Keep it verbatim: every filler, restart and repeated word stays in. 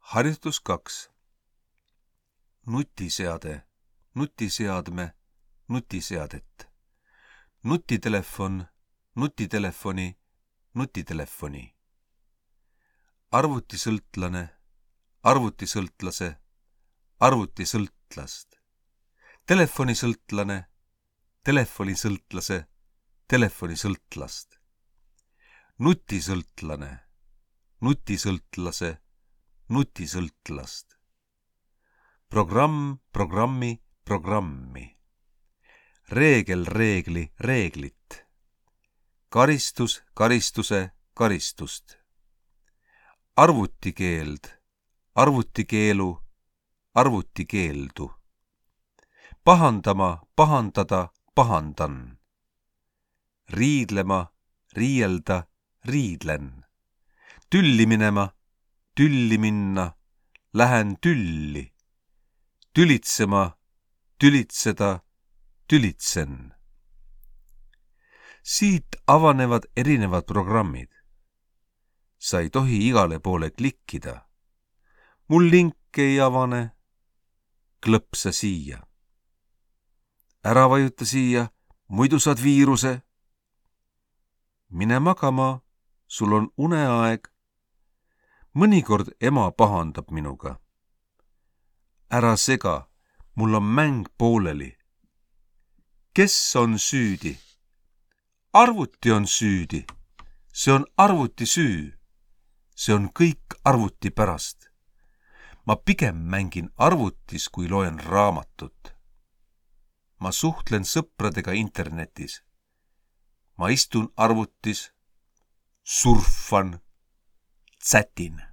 Harjutus kaks. Nutiseade, nutiseadme, nutiseadet. Nutitelefon, nutitelefoni, nutitelefoni. Arvutisõltlane, arvutisõltlase, arvutisõltlast. Telefonisõltlane, telefonisõltlase, telefonisõltlast. Nutisõltlane, nutisõltlase, nutisõltlast. Programm, programmi, programmi. Reegel, reegli, reeglit. Karistus, karistuse, karistust. Arvutikeeld, arvutikeelu, arvutikeeldu. Pahandama, pahandada, pahandan. Riidlema, riielda, riidlen. Tülli minema, tülli minna, lähen tülli. Tülitsema, tülitseda, tülitsen. Siit avanevad erinevad programmid. Sa ei tohi igale poole klikkida. Mul link ei avane. Klõpsa siia. Ära vajuta siia, muidu saad viiruse. Mine magama, sul on uneaeg. Mõnikord ema pahandab minuga. Ära sega, mul on mäng pooleli. Kes on süüdi? Arvuti on süüdi. See on arvuti süü. See on kõik arvuti pärast. Ma pigem mängin arvutis, kui loen raamatut. Ma suhtlen sõpradega internetis. Ma istun arvutis, surfan, tsätin.